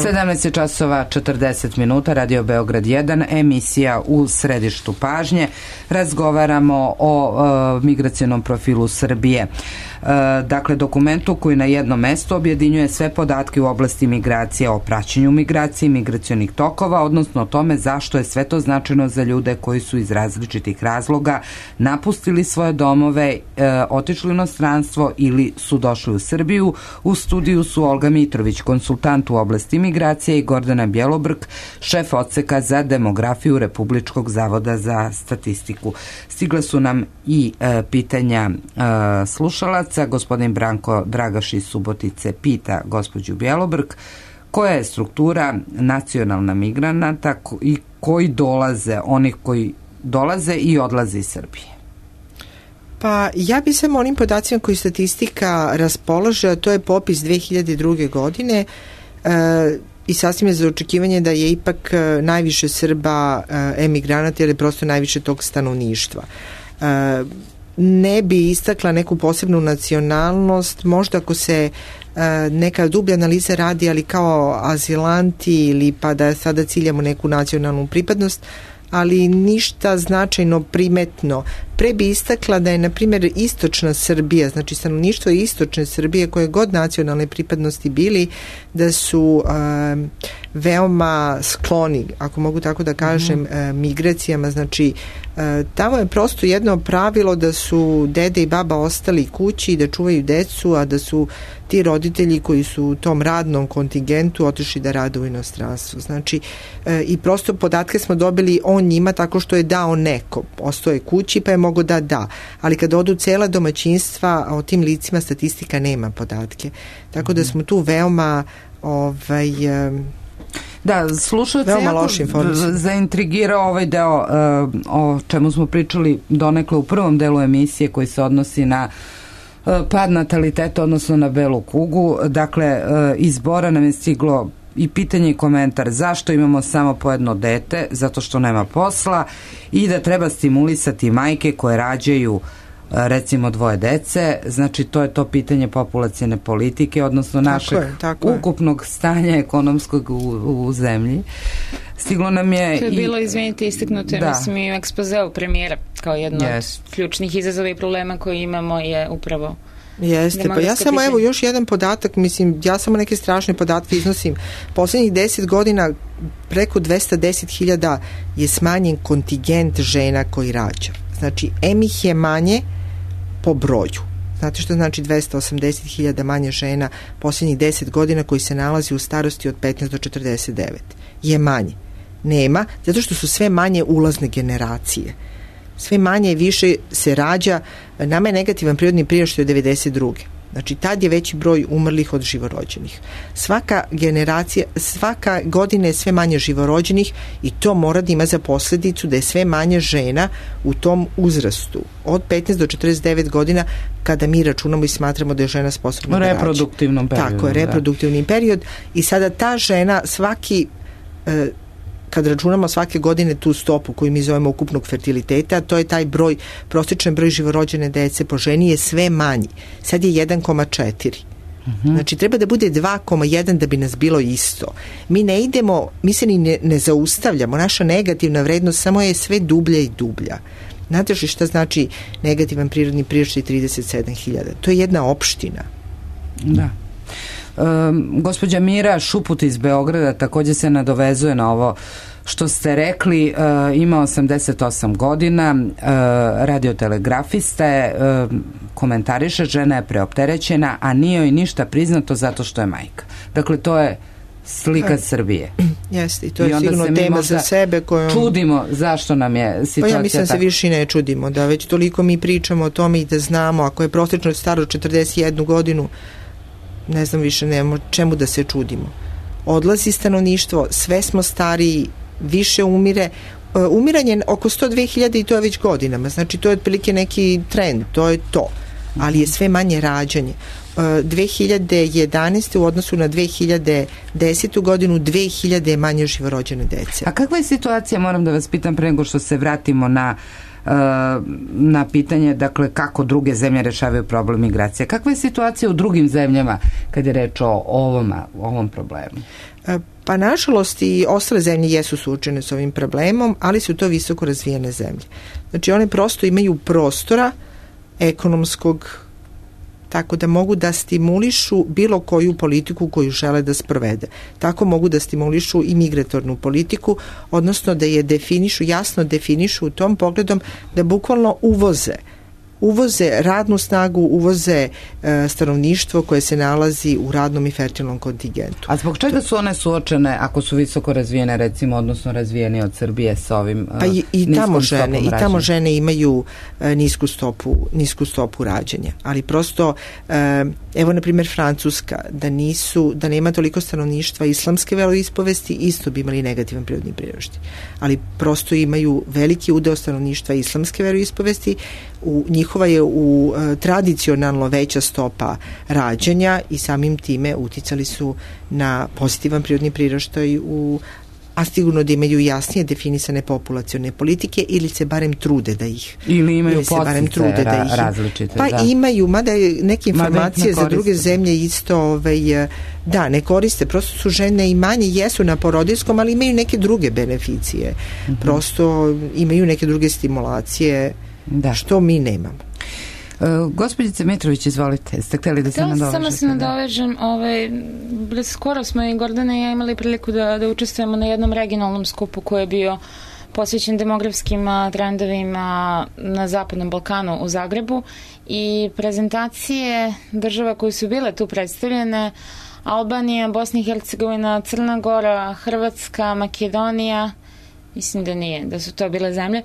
sedamnaest je časova četrdeset minuta, Radio Beograd jedan, emisija U središtu pažnje. Razgovaramo o e, migracionom profilu Srbije. E, dakle, dokumentu koji na jednom mestu objedinjuje sve podatke u oblasti migracije, o praćenju migracije, migracionih tokova, odnosno o tome zašto je sve to značajno za ljude koji su iz različitih razloga napustili svoje domove, e, otišli u inostranstvo ili su došli u Srbiju. U studiju su Olga Mitrović, konsultant u oblasti migracije, i Gordana Bjelobrk, šef odseka za demografiju Republičkog zavoda za statistiku. Stigle su nam i e, pitanja e, slušalaca. Gospodin Branko Dragaš iz Subotice pita gospođu Bjelobrk koja je struktura nacionalna migranata i koji dolaze, onih koji dolaze i odlaze iz Srbije. Pa ja bi samo onim podacima koji statistika raspolaže, a to je popis dve hiljade druge godine, e, i sasvim je za očekivanje da je ipak najviše Srba e, emigranata, jer je prosto najviše tog stanovništva. E, ne bi istakla neku posebnu nacionalnost, možda ako se e, neka dublja analiza radi, ali kao azilanti ili pa da sada ciljamo neku nacionalnu pripadnost, ali ništa značajno primetno. Pre bi istakla da je, na primjer, istočna Srbija, znači stanovništvo istočne Srbije, koje god nacionalne pripadnosti bili, da su um, veoma skloni, ako mogu tako da kažem, mm-hmm. uh, migracijama. Znači, uh, tamo je prosto jedno pravilo da su dede i baba ostali kući i da čuvaju decu, a da su ti roditelji koji su u tom radnom kontingentu otišli da rade u inostranstvu. Znači, uh, i prosto podatke smo dobili o njima tako što je dao neko. Ostao je kući pa je mogo da da. Ali kada odu cela domaćinstva, o tim licima statistika nema podatke. Tako da smo tu veoma ovaj... Da, slušalce jako zaintrigirao ovaj deo uh, o čemu smo pričali donekle u prvom delu emisije koji se odnosi na uh, pad nataliteta, odnosno na belu kugu. Dakle, uh, iz Bora nam je stiglo i pitanje i komentar zašto imamo samo po jedno dete, zato što nema posla, i da treba stimulisati majke koje rađaju recimo dvoje dece. Znači, to je to pitanje populacione politike, odnosno našeg tako je, tako ukupnog je. stanja ekonomskog u, u zemlji. Stiglo nam je... To je i, bilo, izvinite, istaknuto, da. mislim, i u ekspozeu premijera kao jedno yes. od ključnih izazova i problema koje imamo je upravo Jeste, pa ja samo evo još jedan podatak, mislim, ja samo neke strašne podatke iznosim. Poslednjih deset godina preko dvesta deset hiljada je smanjen kontingent žena koji rađa. Znači, em ih je manje po broju. Znate što znači dvesta osamdeset hiljada manje žena poslednjih deset godina koji se nalazi u starosti od petnaest do četrdeset devet? Je manje. Nema, zato što su sve manje ulazne generacije. Sve manje i više se rađa. Nama je negativan prirodni priraštaj od devedeset druge. Znači, tad je veći broj umrlih od živorođenih. Svaka generacija, svaka godina je sve manje živorođenih i to mora da ima za posledicu da je sve manje žena u tom uzrastu. Od petnaest do četrdeset devet godina, kada mi računamo i smatramo da je žena sposobna da rađa. Reproduktivnom periodu. Tako je, reproduktivni da. period. I sada ta žena svaki... E, kad računamo svake godine tu stopu koju mi zovemo ukupnog fertiliteta, to je taj broj, prosječan broj živorođene dece po ženi je sve manji. Sad je jedan zarez četiri. Uh-huh. Znači, treba da bude dva zarez jedan da bi nas bilo isto. Mi ne idemo, mi se ni ne, ne zaustavljamo. Naša negativna vrednost samo je sve dublja i dublja. Znate li šta znači negativan prirodni priraštaj trideset sedam hiljada? To je jedna opština. Da. Um, gospođa Mira Šuput iz Beograda takođe se nadovezuje na ovo što ste rekli. Uh, ima osamdeset osam godina, uh, radiotelegrafista je, uh, komentariše, žena je preopterećena, a nije joj ništa priznato zato što je majka. Dakle, to je slika ha. Srbije. Jeste, i to I je sigurno tema za sebe kojom... čudimo zašto nam je situacija. Pa ja mislim da tako. se više ne čudimo, da već toliko mi pričamo o tome i da znamo, ako je prosječno staro četrdeset jednu godinu, ne znam više nemamo čemu da se čudimo. Odlazi stanovništvo, sve smo stariji, više umire. Umiranje oko sto dve hiljade i to je već godinama, znači to je otprilike neki trend, to je to. Ali je sve manje rađanje. dve hiljade jedanaeste u odnosu na dve hiljade desetu godinu dve hiljade je manje živorođene dece. A kakva je situacija, moram da vas pitam pre nego što se vratimo na na pitanje, dakle, kako druge zemlje rešavaju problem migracije. Kakva je situacija u drugim zemljama kad je reč o ovom, o ovom problemu? Pa nažalost i ostale zemlje jesu suočene s ovim problemom, ali su to visoko razvijene zemlje. Znači one prosto imaju prostora ekonomskog, tako da mogu da stimulišu bilo koju politiku koju žele da sprovede. Tako mogu da stimulišu i migratornu politiku, odnosno da je definišu, jasno definišu u tom pogledom da bukvalno uvoze uvoze radnu snagu, uvoze e, stanovništvo koje se nalazi u radnom i fertilnom kontingentu. A zbog čega su one suočene ako su visoko razvijene, recimo, odnosno razvijene od Srbije sa ovim pa i, i tamo žene i tamo žene imaju e, nisku stopu nisku stopu rađanja, ali prosto e, evo na primjer Francuska, da nisu da nema toliko stanovništva islamske veroispovesti, isto bi imali negativan prirodni priraštaj, ali prosto imaju veliki udeo stanovništva islamske veroispovesti, u njihova je u e, tradicionalno veća stopa rađanja i samim time uticali su na pozitivan prirodni priraštaj u a sigurno da imaju jasnije definisane populacione politike ili se barem trude da ih ili imaju podsticaje ra- različite. Pa da. imaju, mada je neke informacije za druge zemlje isto ovaj, da, ne koriste, prosto su žene i manje jesu na porodiljskom, ali imaju neke druge beneficije. Mm-hmm. Prosto imaju neke druge stimulacije da. Što mi nemamo. Uh, Gospođice Mitrović, izvolite, ste htjeli da se nadovežete? Samo se nadovežem, ovaj, skoro smo i Gordana i ja imali priliku da, da učestvujemo na jednom regionalnom skupu koji je bio posvećen demografskim trendovima na Zapadnom Balkanu u Zagrebu i prezentacije država koje su bile tu predstavljene, Albanija, Bosna i Hercegovina, Crna Gora, Hrvatska, Makedonija, mislim da nije, da su to bile zemlje.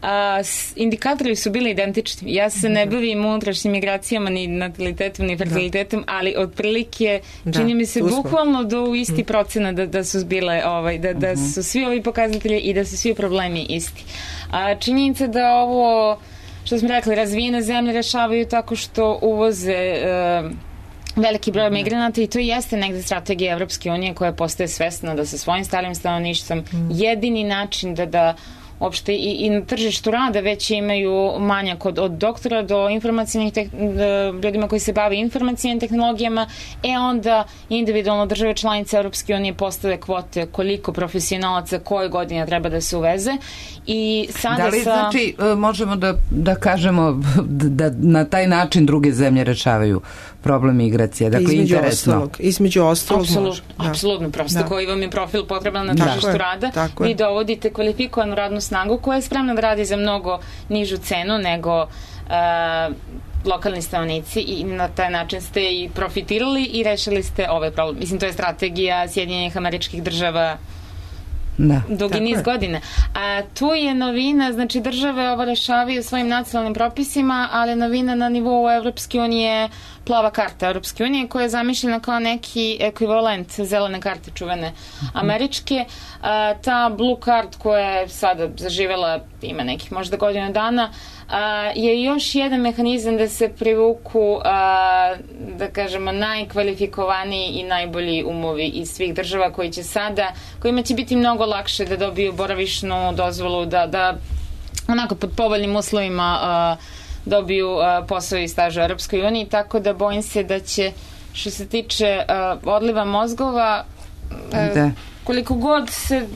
A, indikatori su bili identični. Ja se ne bavim unutrašnjim migracijama, ni natalitetom, ni fertilitetom, ali otprilike čini mi se bukvalno do isti procena da, da su zbile, ovaj, da, da su svi ovi pokazatelji i da su svi problemi isti. A, činjenica da ovo, što smo rekli, razvijene zemlje rešavaju tako što uvoze uh, veliki broj migranata i to jeste negde strategija Evropske unije koja postaje svesna da sa svojim starim stanovništvom mm. jedini način da da uopšte i, i na tržištu rada već imaju manjak od, od doktora do informacijnih te, ljudima koji se bave informacijnim tehnologijama, e onda individualno države članice Europske unije postave kvote koliko profesionalaca koje godine treba da se uveze i sada da li sa... znači možemo da, da kažemo da na taj način druge zemlje rešavaju problem migracije, dakle između interesno. Ostalog, između ostalog apsolutno, apsolutno, prosto da. Koji vam je profil potreban na tržištu da. rada, tako vi je. Dovodite kvalifikovanu radnu snagu koja je spremna da radi za mnogo nižu cenu nego uh, lokalni stanovnici i na taj način ste i profitirali i rešili ste ovaj problem. Mislim, to je strategija Sjedinjenih Američkih Država da. dugi niz godina. A tu je novina, znači države ovo rešavaju svojim nacionalnim propisima, ali novina na nivou Evropske unije plava karta Evropske unije koja je zamišljena kao neki ekvivalent zelene karte čuvene američke. A, ta blue card koja je sada zaživela, ima nekih možda godinu dana, a, je još jedan mehanizam da se privuku a, da kažemo najkvalifikovaniji i najbolji umovi iz svih država koji će sada, kojima će biti mnogo lakše da dobiju boravišnu dozvolu, da, da onako pod povoljnim uslovima a, dobiju uh, posao i staž u Europskoj uniji, tako da bojim se da će, što se tiče uh, odliva mozgova, uh, koliko god se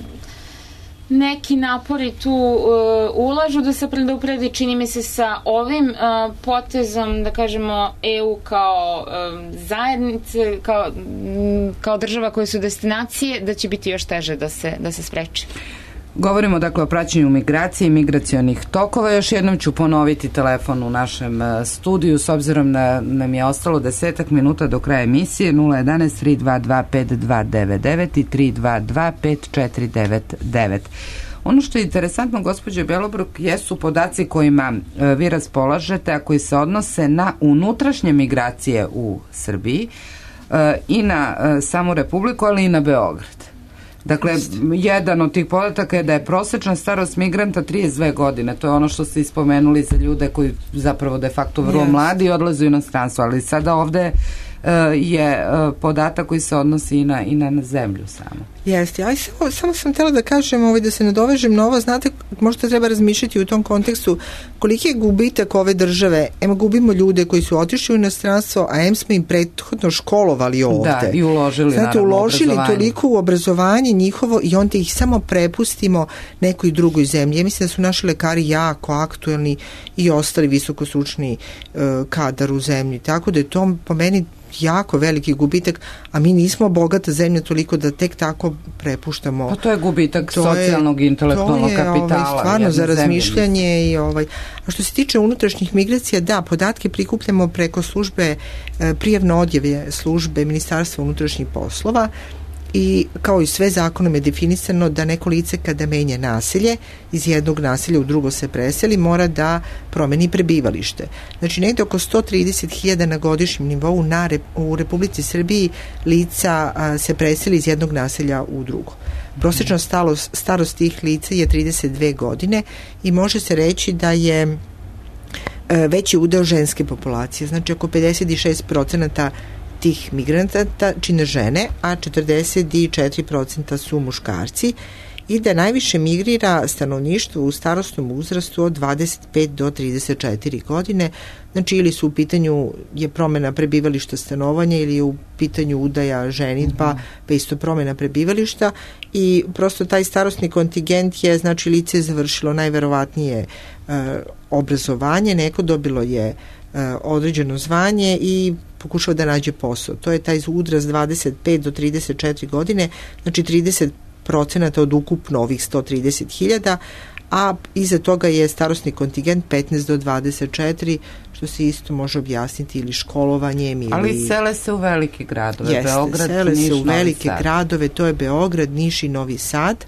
neki napori tu uh, ulažu da se predupredi, čini mi se sa ovim uh, potezom, da kažemo, E U kao um, zajednice, kao, m, kao država koje su destinacije, da će biti još teže da se, da se spreči. Govorimo dakle o praćenju migracije i migracionih tokova. Još jednom ću ponoviti telefon u našem studiju s obzirom da nam je ostalo desetak minuta do kraja emisije. Nula jedanaest tri dva dva pet dva devet devet i tri dva dva pet četiri devet devet. Ono što je interesantno, gospođo Bjelobruk, jesu podaci kojima e, vi raspolažete, a koji se odnose na unutrašnje migracije u Srbiji e, i na e, samu Republiku, ali i na Beograd. Dakle, jedan od tih podataka je da je prosečna starost migranta trideset dve godine. To je ono što ste ispomenuli za ljude koji zapravo de facto vrlo yes. mladi odlaze u inostranstvo. Ali sada ovde je podatak koji se odnosi i na, i na, na zemlju samo. Jeste, ali samo, samo sam htjela da kažem, ovaj, da se nadovežem na ovo, znate, možda treba razmišljati u tom kontekstu koliki je gubitak ove države. Ema gubimo ljude koji su otišli u inostranstvo, a em smo im prethodno školovali ovde. Da, i uložili, znate, naravno, uložili toliko u obrazovanje njihovo i onda ih samo prepustimo nekoj drugoj zemlji. Ja mislim da su naši lekari jako aktuelni i ostali visokostručni uh, kadar u zemlji. Tako da je to po meni jako veliki gubitak, a mi nismo bogata zemlja toliko da tek tako prepuštamo. Pa to je gubitak to socijalnog i intelektualnog kapitala. To je ovaj, stvarno za razmišljanje. I, ovaj, a što se tiče unutrašnjih migracija, da, podatke prikupljamo preko službe, prijavno odjave službe Ministarstva unutrašnjih poslova i kao i sve zakonom je definisano da neko lice kada menja naselje, iz jednog naselja u drugo se preseli, mora da promeni prebivalište. Znači negde oko sto trideset hiljada na godišnjem nivou na rep, u Republici Srbiji lica a, se preseli iz jednog naselja u drugo. Prosječna starost, starost tih lica je trideset dve godine i može se reći da je a, veći udeo ženske populacije, znači oko pedeset šest procenata tih migranata čine žene, a četrdeset četiri procenta su muškarci i da najviše migrira stanovništvo u starosnom uzrastu od dvadeset pet do trideset četiri godine, znači ili su u pitanju je promjena prebivališta stanovanja ili je u pitanju udaja ženidba, mm-hmm. pa isto promjena prebivališta i prosto taj starosni kontingent je, znači lice je završilo najverovatnije uh, obrazovanje, neko dobilo je uh, određeno zvanje i pokušao da nađe posao. To je taj udraz dvadeset pet do trideset četiri godine, znači trideset procenata od ukupno ovih sto trideset hiljada, a iza toga je starosni kontingent petnaest do dvadeset četiri, što se isto može objasniti ili školovanjem ili... Ali sele se u velike gradove, Jeste, Beograd, sele Niš, se u velike Novi Sad. gradove, to je Beograd, Niš i Novi Sad.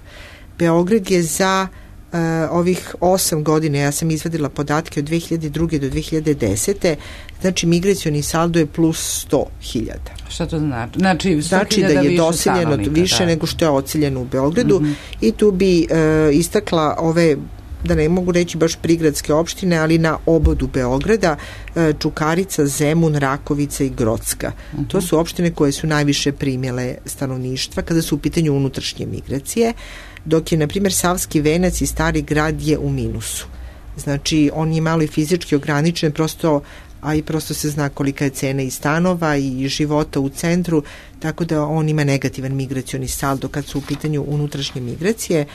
Beograd je za Uh, ovih osam godina, ja sam izvadila podatke od dve hiljade druge do dve hiljade desete, znači migracioni saldo je plus sto hiljada. Šta to znači? Znači, znači da je doseljeno više da. nego što je ociljeno u Beogradu mm-hmm. i tu bi uh, istakla ove, da ne mogu reći baš prigradske opštine, ali na obodu Beograda, uh, Čukarica, Zemun, Rakovica i Grocka. Mm-hmm. To su opštine koje su najviše primjele stanovništva kada su u pitanju unutrašnje migracije, dok je, na primjer, Savski Venac i Stari Grad je u minusu. Znači, on je malo i fizički ograničen, prosto, a i prosto se zna kolika je cena i stanova i života u centru, tako da on ima negativan migracioni saldo kad su u pitanju unutrašnje migracije.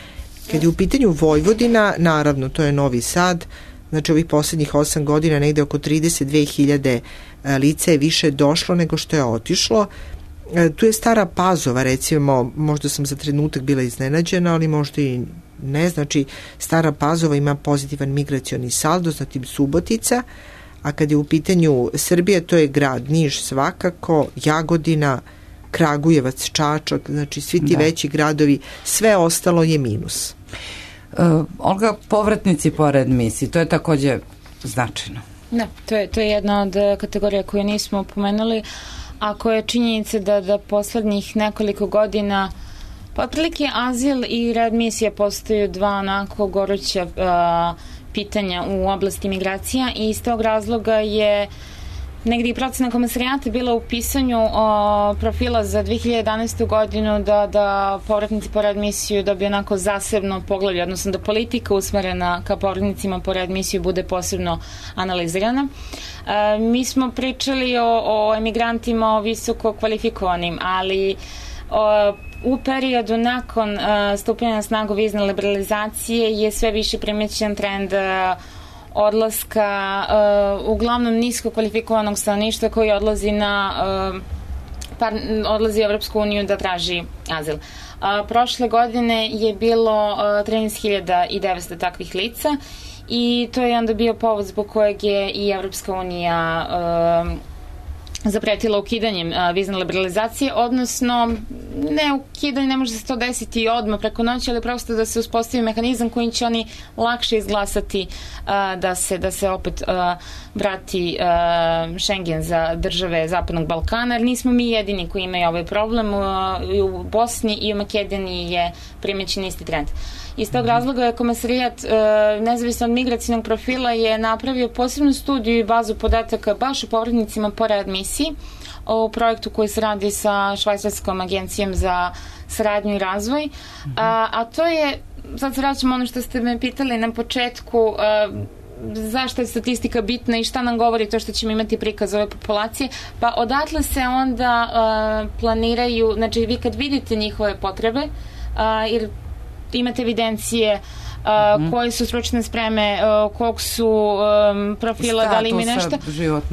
Kad je u pitanju Vojvodina, naravno, to je Novi Sad, znači ovih poslednjih osam godina negde oko trideset dve hiljade lica je više došlo nego što je otišlo. Tu je Stara Pazova, recimo, možda sam za trenutak bila iznenađena, ali možda i ne, znači Stara Pazova ima pozitivan migracioni saldo, zatim Subotica, a kad je u pitanju Srbija, to je grad Niš svakako, Jagodina, Kragujevac, Čačak, znači svi ti da. veći gradovi, sve ostalo je minus. Uh, Olga, povratnici po readmisiji, to je takođe značajno. Da, to je, to je jedna od kategorija koju nismo pomenuli, ako je činjenica da, da poslednjih nekoliko godina pa otprilike azil i readmisija postaju dva onako goruća uh, pitanja u oblasti migracija i iz tog razloga je negdje i procena komesarijata bila u pisanju o, profila za dve hiljade jedanaestu godinu da, da povratnici po readmisiju dobiju onako zasebno poglavlje, odnosno da politika usmerena ka povratnicima po readmisiju bude posebno analizirana. E, mi smo pričali o, o emigrantima, o visoko kvalifikovanim, ali o, u periodu nakon uh, stupanja na snagu vizne liberalizacije je sve više primećen trend uh, odlaska uh, uglavnom nisko kvalifikovanog stanovništva koji odlazi na uh, par, odlazi u Evropsku uniju da traži azil. Uh, prošle godine je bilo uh, trinaest hiljada devetsto takvih lica i to je onda bio povod zbog kojeg je i Evropska unija uh, zapretila ukidanjem a, vizne liberalizacije, odnosno ne ukidanje, ne može se to desiti odmah preko noći, ali prosto da se uspostavi mehanizam kojim će oni lakše izglasati a, da se da se opet a, vrati a, Schengen za države Zapadnog Balkana, jer nismo mi jedini koji imaju ovaj problem. A, i u Bosni i u Makedoniji je primećen isti trend. Iz tog razloga je komesarijat e, nezavisno od migracijnog profila je napravio posebnu studiju i bazu podataka baš o povratnicima po readmisiji migraciji, o projektu koji se radi sa Švajcarskom agencijom za saradnju i razvoj, mm-hmm. a, a to je, sad se vraćamo ono što ste me pitali na početku, a, zašto je statistika bitna i šta nam govori to što ćemo imati prikaz ove populacije, pa odatle se onda uh, planiraju, znači vi kad vidite njihove potrebe, uh, jer imate evidencije uh, mm-hmm. koje su stručne spreme, uh, kog su um, profila, da li ima nešto,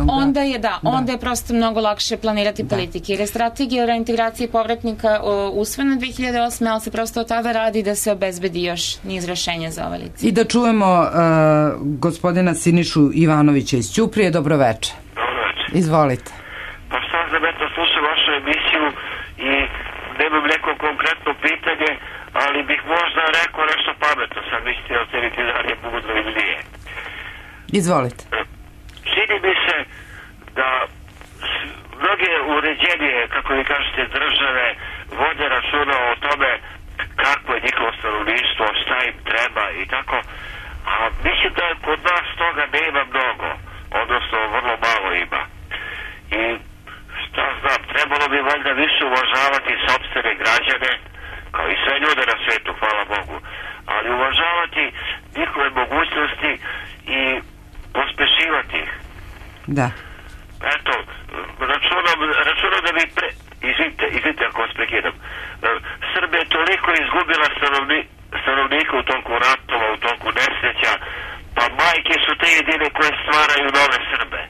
onda je da, da, onda je prosto mnogo lakše planirati da. politike. Jer je strategija o reintegraciji povratnika uh, usvojena dve hiljade osme, ali se prosto od tada radi da se obezbedi još niz rešenja za ove lice. I da čujemo uh, gospodina Sinišu Ivanovića iz Ćuprije. Dobroveče. Dobroveče. Izvolite. Pa šta znam, eto, slušam vašu emisiju i nemam neko konkretno pitanje, ali bih možda rekao nešto pametno, sad mislite oceniti da li je mudro ili nije. Izvolite. Čini mi se da mnoge uređenije, kako vi kažete, države vode računa o tome kako je njihovo stanovništvo, šta im treba i tako, a mislim da kod nas toga nema mnogo, odnosno vrlo malo ima. I šta znam, trebalo bi valjda više uvažavati sopstvene građane, kao i sve ljude na svetu, hvala Bogu, ali uvažavati njihove mogućnosti i pospešivati ih. Da. Eto, računam, računam da bi pre... Izvinite, izvinite ako vas prekidam. Srbija je toliko izgubila stanovni, stanovnika u toku ratova, u toku nesreća, pa majke su te jedine koje stvaraju nove Srbe.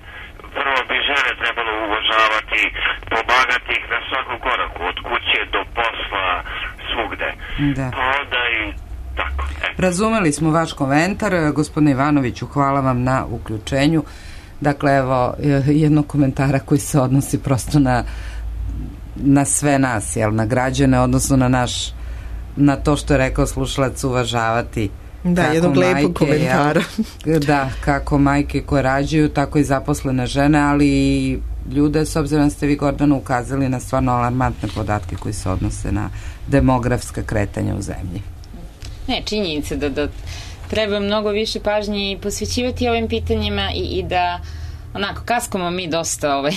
Prvo bi žene trebalo uvažavati, pomagati ih na svakom koraku, od kuće do posla, svugde. Da. Pa onda i tako. E. Razumeli smo vaš komentar. Gospodine Ivanoviću, hvala vam na uključenju. Dakle, evo, jednog komentara koji se odnosi prosto na na sve nas, jel, na građane, odnosno na naš, na to što je rekao slušalac, uvažavati. Da, jednog lepog komentara. Jel, da, kako majke koje rađaju, tako i zaposlene žene, ali i ljude, s obzirom da ste vi, Gordana, ukazali na stvarno alarmantne podatke koji se odnose na demografska kretanja u zemlji. Ne, činjenica da, da treba mnogo više pažnje i posvećivati ovim pitanjima i, i da onako, kaskamo mi dosta ovaj,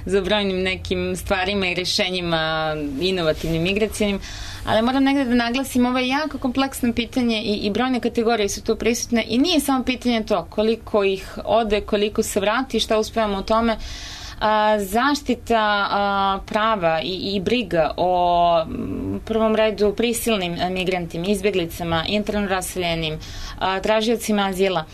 za brojnim nekim stvarima i rešenjima inovativnim, migracijnim, ali moram negde da naglasim, ovo je jako kompleksno pitanje i, i brojne kategorije su tu prisutne i nije samo pitanje to koliko ih ode, koliko se vrati, šta uspevamo u tome. A, zaštita a, prava i, i briga o m, prvom redu prisilnim migrantima, izbjeglicama, interno raseljenim, a, tražiocima azila,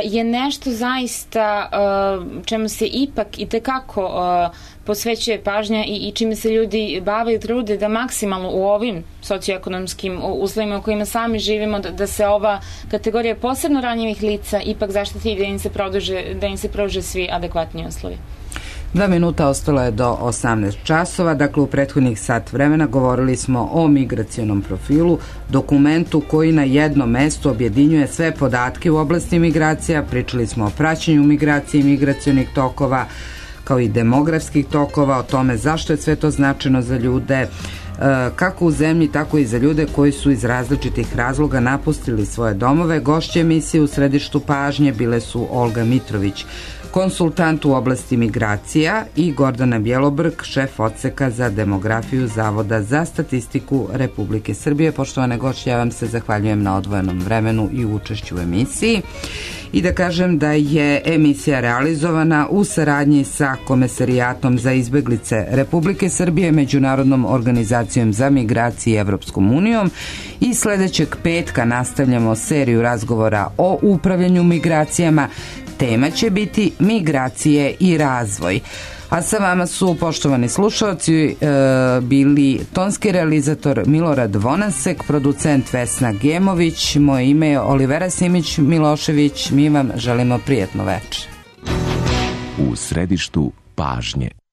je nešto zaista uh, čemu se ipak i tekako uh, posvećuje pažnja i, i čime se ljudi bave i trude da maksimalno u ovim socioekonomskim uslovima u kojima sami živimo, da, da se ova kategorija posebno ranjivih lica ipak zaštiti i da im se produže, da im se pruže svi adekvatni uslovi. Dva minuta ostalo je do osamnaest časova, dakle u prethodnih sat vremena govorili smo o migracionom profilu, dokumentu koji na jednom mestu objedinjuje sve podatke u oblasti migracija, pričali smo o praćenju migracije i migracionih tokova, kao i demografskih tokova, o tome zašto je sve to značajno za ljude, kako u zemlji, tako i za ljude koji su iz različitih razloga napustili svoje domove. Gošće emisije u središtu pažnje bile su Olga Mitrović, konsultant u oblasti migracija, i Gordana Bjelobrg, šef odseka za demografiju Zavoda za statistiku Republike Srbije. Poštovane gošće, ja vam se zahvaljujem na odvojenom vremenu i učešću u emisiji. I da kažem da je emisija realizovana u saradnji sa Komesarijatom za izbeglice Republike Srbije, Međunarodnom organizacijom za migracije i Evropskom unijom, i sledećeg petka nastavljamo seriju razgovora o upravljanju migracijama. Tema će biti migracije i razvoj. A sa vama su, poštovani slušalci, e, bili tonski realizator Milorad Vonasek, producent Vesna Gemović, moje ime je Olivera Simić-Milošević, mi vam želimo prijatno večer. U središtu pažnje.